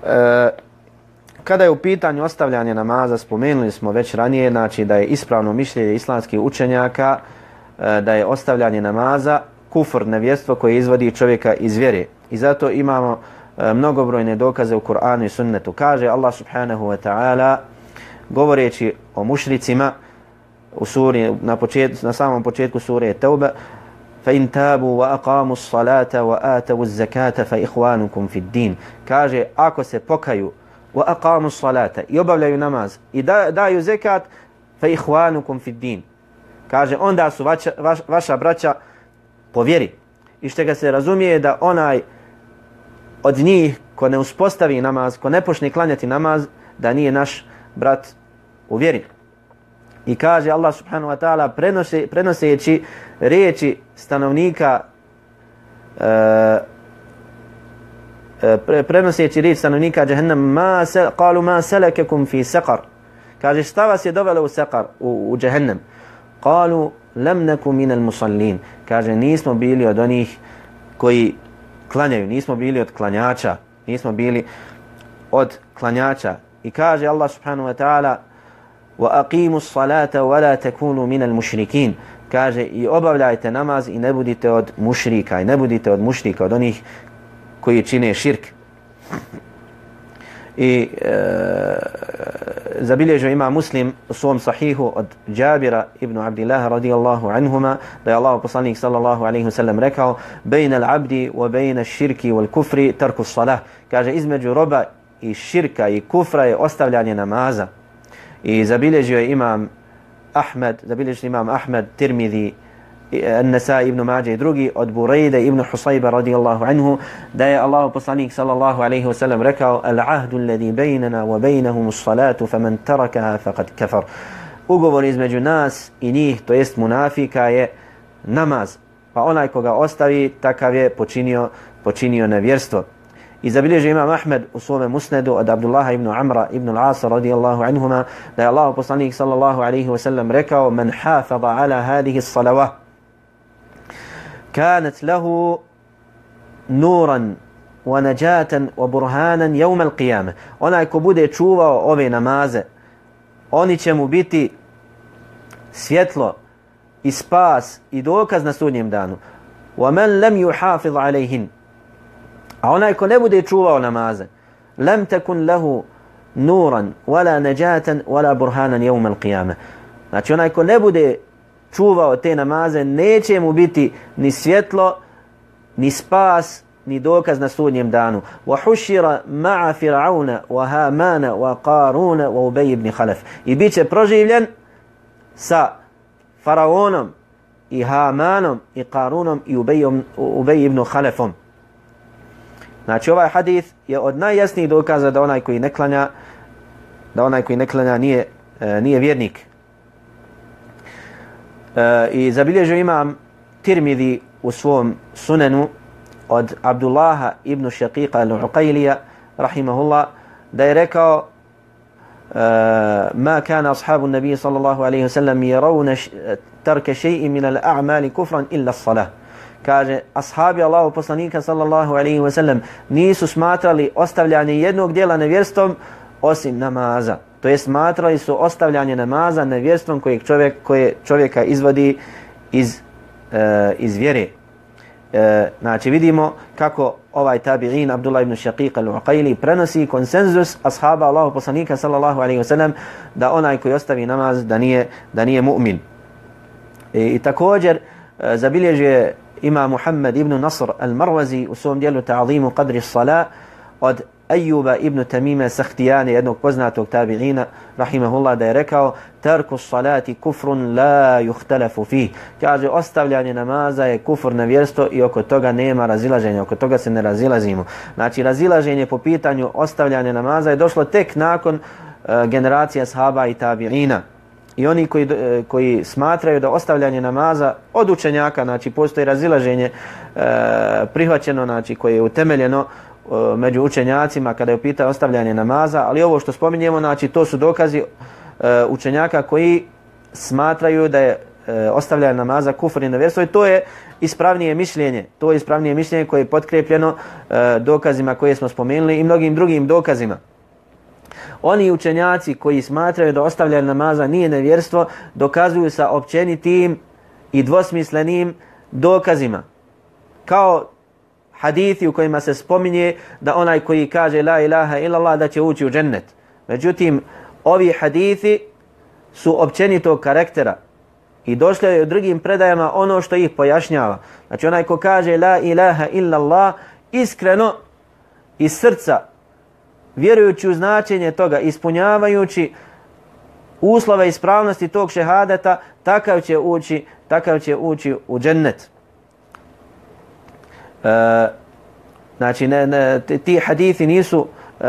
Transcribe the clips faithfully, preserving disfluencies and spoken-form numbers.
E, kada je u pitanju ostavljanje namaza, spomenuli smo već ranije, znači da je ispravno mišljenje islamskih učenjaka e, da je ostavljanje namaza kufr, nevjerstvo koje izvodi čovjeka iz vjere. I zato imamo e, mnogobrojne dokaze u Kur'anu i sunnetu. Kaže Allah subhanahu wa ta'ala govoreći o mušricima u suri, na, počet, na samom početku sure Tauba, فَإِنْ تَابُوا وَأَقَامُوا الصَّلَاةَ وَآتَوُوا الزَّكَاةَ فَإِخْوَانُكُمْ فِي الدِّينِ. Kaže, ako se pokaju وَأَقَامُوا الصَّلَاةَ i obavljaju namaz i da, daju zekat, فَإِخْوَانُكُمْ فِي الدِّينِ. Kaže, onda su vaša, vaš, vaša braća po vjeri. I što ga se razumije da onaj od njih ko ne uspostavi namaz, ko ne počne klanjati namaz, da nije naš brat u vjeri. I kaže Allah subhanahu wa ta'ala prenose, prenoseći riječi stanovnika e, pre, prenoseći riječ stanovnika Jahannam, ma se, qalu ma salakakum fi saqar. Kaže, šta vas je dovelo u saqar, u, u Jahannam? Qalu lam naku minal musallin. Kaže, nismo bili od onih koji klanjaju, nismo bili od klanjača, nismo bili od klanjača. I kaže Allah subhanahu wa ta'ala وَأَقِيمُوا الصَّلَاةَ وَلَا تَكُونُوا مِنَ الْمُشْرِكِينَ. Kaže, i obavljajte namaz i ne budite od mušrika, i ne budite od mušrika, od onih koji čine širk. I e, zabilježio ima Muslim u svom sahihu od Džabira ibn Abdillaha radijallahu anhuma da je Allah poslanik sallallahu alaihi wasallam rekao bejna l'abdi wa bejna širki wal kufri tarku salah. Kaže, između roba i širka i kufra je ostavljanje namaza. I zabilježio je imam Ahmed, zabilježio imam Ahmed, Tirmidhi, An-Nasai ibn Mađe i drugi od Burejde ibn Husayba radijallahu anhu da je Allahu poslanik sallallahu alaihi wasallam rekao al-ahdu alladhi bejnana wa bejnahum as-salatu faman tarakaha faqad kafar. Ugovor između nas i njih, to jest munafika, je namaz. Pa onaj koga ostavi, takav je počinio, počinio nevjerstvo. I zabilježio imam Ahmed u svome musnedu od Abdullaha ibn Amra ibn al-Asa radijallahu anhuma da je Allah poslanik sallallahu alaihi wasallam rekao man hafada ala hadihi s-salawah kanat lahu nuran wa najatan wa burhanan yawm al-qiyamah. Onaj ko bude čuvao ove namaze, oni će mu biti svjetlo i spas i dokaz na sudnjem danu. Wa man lam yuhafiz alayhin, a onaj ko ne bude čuvao namaze, lam takun lahu nuran wala najatan wala burhanan yawm al-qiyamah. Znači onaj ko ne bude čuvao te namaze, neće mu biti ni svjetlo, ni spas, ni dokaz na sudnjem danu. Wa hushira ma'a fir'auna wa hamana wa qaruna wa ubay ibn khalaf. I biće proživljen sa faraonom i Hamanom i Qarunom i Ubejom, Ubej ibn Khalafom. Znači ovaj hadith je od najjasnijih dokaza da onaj koji ne klanja, da onaj koji ne klanja nije, e, nije vjernik. E, I zabilježio imam Tirmidhi u svom sunenu od Abdullaha ibn Shaqiqa al-Uqailija rahimahullah da je rekao ما كان أصحاب النبي صلى الله عليه وسلم يرون ترك شيء من الأعمال كفرا إلا الصلاة. Kaže, ashabi Allahu poslanika sallallahu alaihi wa sallam nisu smatrali ostavljanje jednog dijela nevjerstvom osim namaza. To je smatrali su ostavljanje namaza nevjerstvom kojeg čovjek, koje čovjeka izvodi iz, e, iz vjere. E, znači vidimo kako ovaj tabi'in Abdullah ibn Shaqiq al-Uqaili prenosi konsenzus ashaba Allahu poslanika sallallahu alaihi wa sallam da onaj koji ostavi namaz da nije, da nije mu'min. I, i također e, zabilježuje ima Muhammad ibn Nasr al-Marwazi u svom dijelu Ta'zimu qadri s-salah od Ayyuba ibn Tamima Sakhtiyani, jednog poznatog tabi'ina rahimahullah, da je rekao tarku s-salati kufrun la yuhtalafu fih. Kaže, ostavljanje namaza je kufr, nevjerstvo i oko toga nema razilaženja, oko toga se ne razilazimo. Znači razilaženje po pitanju ostavljanja namaza je došlo tek nakon uh, generacija sahaba i tabi'ina. I oni koji, koji smatraju da ostavljanje namaza od učenjaka, znači postoji razilaženje e, prihvaćeno, znači koje je utemeljeno e, među učenjacima kada je upita ostavljanje namaza, ali ovo što spominjemo, znači to su dokazi e, učenjaka koji smatraju da je e, ostavljanje namaza kufr i nevjerstvo i to je ispravnije mišljenje. To je ispravnije mišljenje koje je potkrepljeno e, dokazima koje smo spomenuli i mnogim drugim dokazima. Oni učenjaci koji smatraju da ostavljanje namaza nije nevjerstvo, dokazuju sa općenitim i dvosmislenim dokazima. Kao hadithi u kojima se spominje da onaj koji kaže la ilaha illallah da će ući u džennet. Međutim, ovi hadithi su općenitog karaktera i došlo je u drugim predajama ono što ih pojašnjava. Znači onaj ko kaže la ilaha illallah iskreno iz srca, vjerujući u značenje toga, ispunjavajući uslove ispravnosti tog šehadeta, takav će ući, takav će ući u džennet. E, znači ne, ne, ti hadithi nisu e,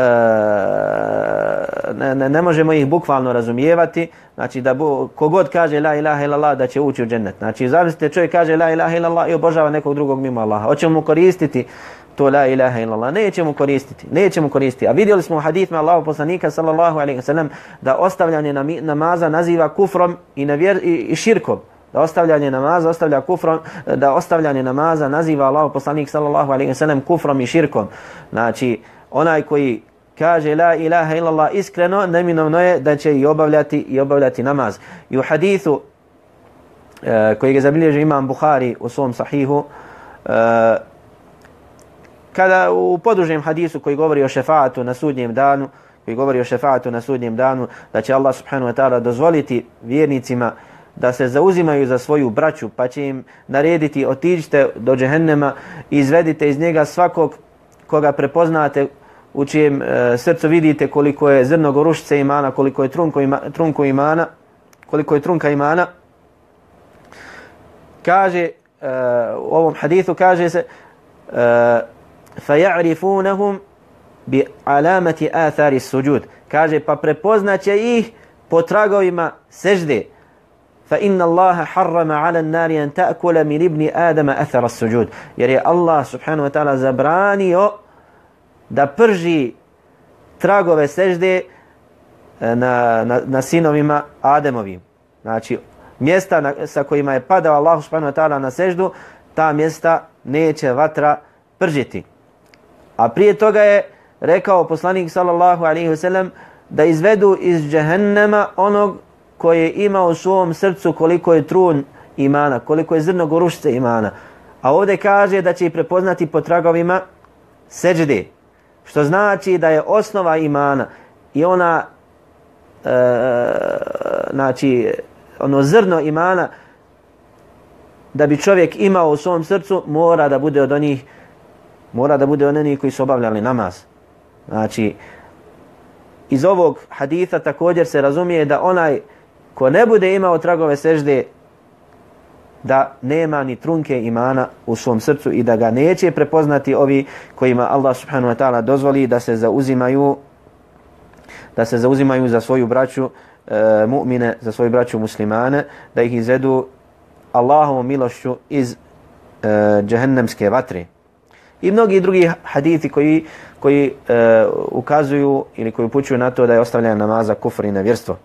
ne, ne, ne možemo ih bukvalno razumijevati, znači da bu, kogod kaže la ilaha illallah da će ući u džennet. Znači zamislite čovjek kaže la ilaha illallah i obožava nekog drugog mimo Allaha. Hoćemo mu koristiti to la ilaha illallah? Nećemo koristiti, nećemo koristiti. A vidjeli smo u hadithima Allahov poslanika sallallahu alejhi ve sellem da ostavljanje namaza naziva kufrom i, nevjer, i, i širkom. Da ostavljanje namaza ostavlja kufrom, da ostavljanje namaza naziva Allahov poslanik sallallahu alejhi ve sellem kufrom i širkom. Znači onaj koji kaže la ilaha illallah iskreno, neminovno je da će i obavljati i obavljati namaz. I u hadithu e, koji ga zabilježi imam Buhari u svom sahihu, e, kada u podužem hadisu koji govori o šefaatu na sudnjem danu, koji govori o šefaatu na sudnjem danu, da će Allah subhanahu wa ta'ala dozvoliti vjernicima da se zauzimaju za svoju braću, pa će im narediti otiđite do džehennema i izvedite iz njega svakog koga prepoznate, u čijem e, srcu vidite koliko je zrno gorušice imana, koliko je trunko, ima, trunko imana, koliko je trunka imana. Kaže, e, u ovom hadithu kaže se e, فَيَعْرِفُونَهُمْ بِعَلَامَةِ آثَارِ السُّجُودِ. Kaže, pa prepoznaće ih po tragovima sežde. فَإِنَّ اللَّهَ حَرَّمَ عَلَى النَّارِ أَنْ تَأْكُلَ مِنْ ابْنِ آدَمَ أَثَرَ السُّجُودِ. Jer je Allah subhanahu wa ta'ala zabranio da prži tragove sežde na, na, na sinovima Ademovim. Znači, mjesta na, sa kojima je padao Allah subhanahu wa ta'ala na seždu, ta mjesta neće vatra pržiti. A prije toga je rekao poslanik sallallahu alejhi ve sellem da izvedu iz džehennema onog koji je imao u svom srcu koliko je trun imana, koliko je zrno gorušice imana. A ovdje kaže da će ih prepoznati po tragovima seđde. Što znači da je osnova imana i ona e, znači ono zrno imana da bi čovjek imao u svom srcu mora da bude od onih mora da bude od onih koji su obavljali namaz. Znači iz ovog haditha također se razumije da onaj ko ne bude imao tragove sežde da nema ni trunke imana u svom srcu i da ga neće prepoznati ovi kojima Allah subhanahu wa ta'ala dozvoli da se zauzimaju da se zauzimaju za svoju braću e, mu'mine, za svoju braću muslimane, da ih izvedu Allahovom milošću iz e, džehennemske vatre. I mnogi drugi hadithi koji, koji e, ukazuju ili koji upućuju na to da je ostavljanje namaza kufr i nevjerstvo.